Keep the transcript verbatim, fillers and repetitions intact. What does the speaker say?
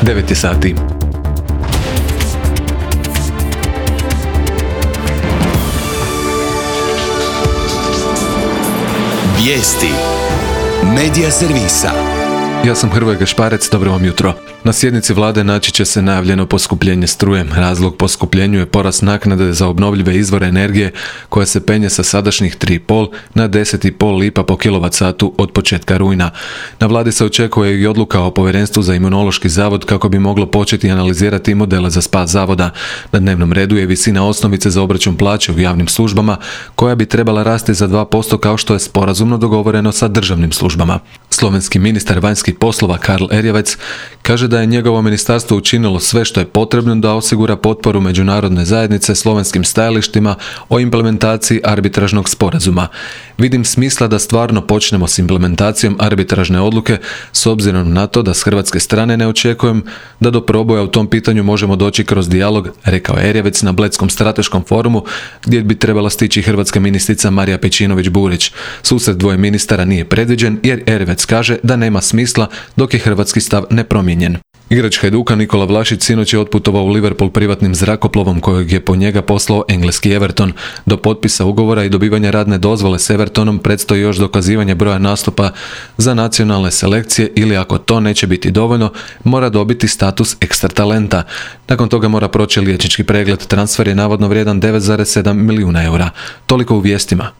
devet je sati. Vijesti Medija servisa. Ja sam Hrvoje Gašparec, dobro vam jutro. Na sjednici vlade naći će se najavljeno poskupljenje struje. Razlog poskupljenju je porast naknade za obnovljive izvore energije koja se penje sa sadašnjih tri zarez pet na deset zarez pet lipa po kilovat satu od početka rujna. Na vladi se očekuje i odluka o povjerenstvu za Imunološki zavod kako bi moglo početi analizirati modele za spas zavoda. Na dnevnom redu je visina osnovice za obračun plaće u javnim službama koja bi trebala rasti za dva posto kao što je sporazumno dogovoreno sa državnim službama. Slovenski ministar vanjskih poslova Karl Erjavec kaže da je njegovo ministarstvo učinilo sve što je potrebno da osigura potporu međunarodne zajednice slovenskim stajalištima o implementaciji arbitražnog sporazuma. Vidim smisla da stvarno počnemo s implementacijom arbitražne odluke s obzirom na to da s hrvatske strane ne očekujem da do proboja u tom pitanju možemo doći kroz dijalog, rekao je Erjavec na Bledskom strateškom forumu gdje bi trebala stići hrvatska ministrica Marija Pejčinović-Burić. Susret dvoje ministara nije predviđen jer Erjavec kaže da nema smisla dok je hrvatski stav nepromijenjen. Igrač Hajduka Nikola Vlašić sinoć je otputovao u Liverpool privatnim zrakoplovom kojeg je po njega poslao engleski Everton. Do potpisa ugovora i dobivanja radne dozvole s Evertonom predstoji još dokazivanje broja nastupa za nacionalne selekcije ili ako to neće biti dovoljno, mora dobiti status ekstra talenta. Nakon toga mora proći liječnički pregled. Transfer je navodno vrijedan devet zarez sedam milijuna eura. Toliko u vijestima.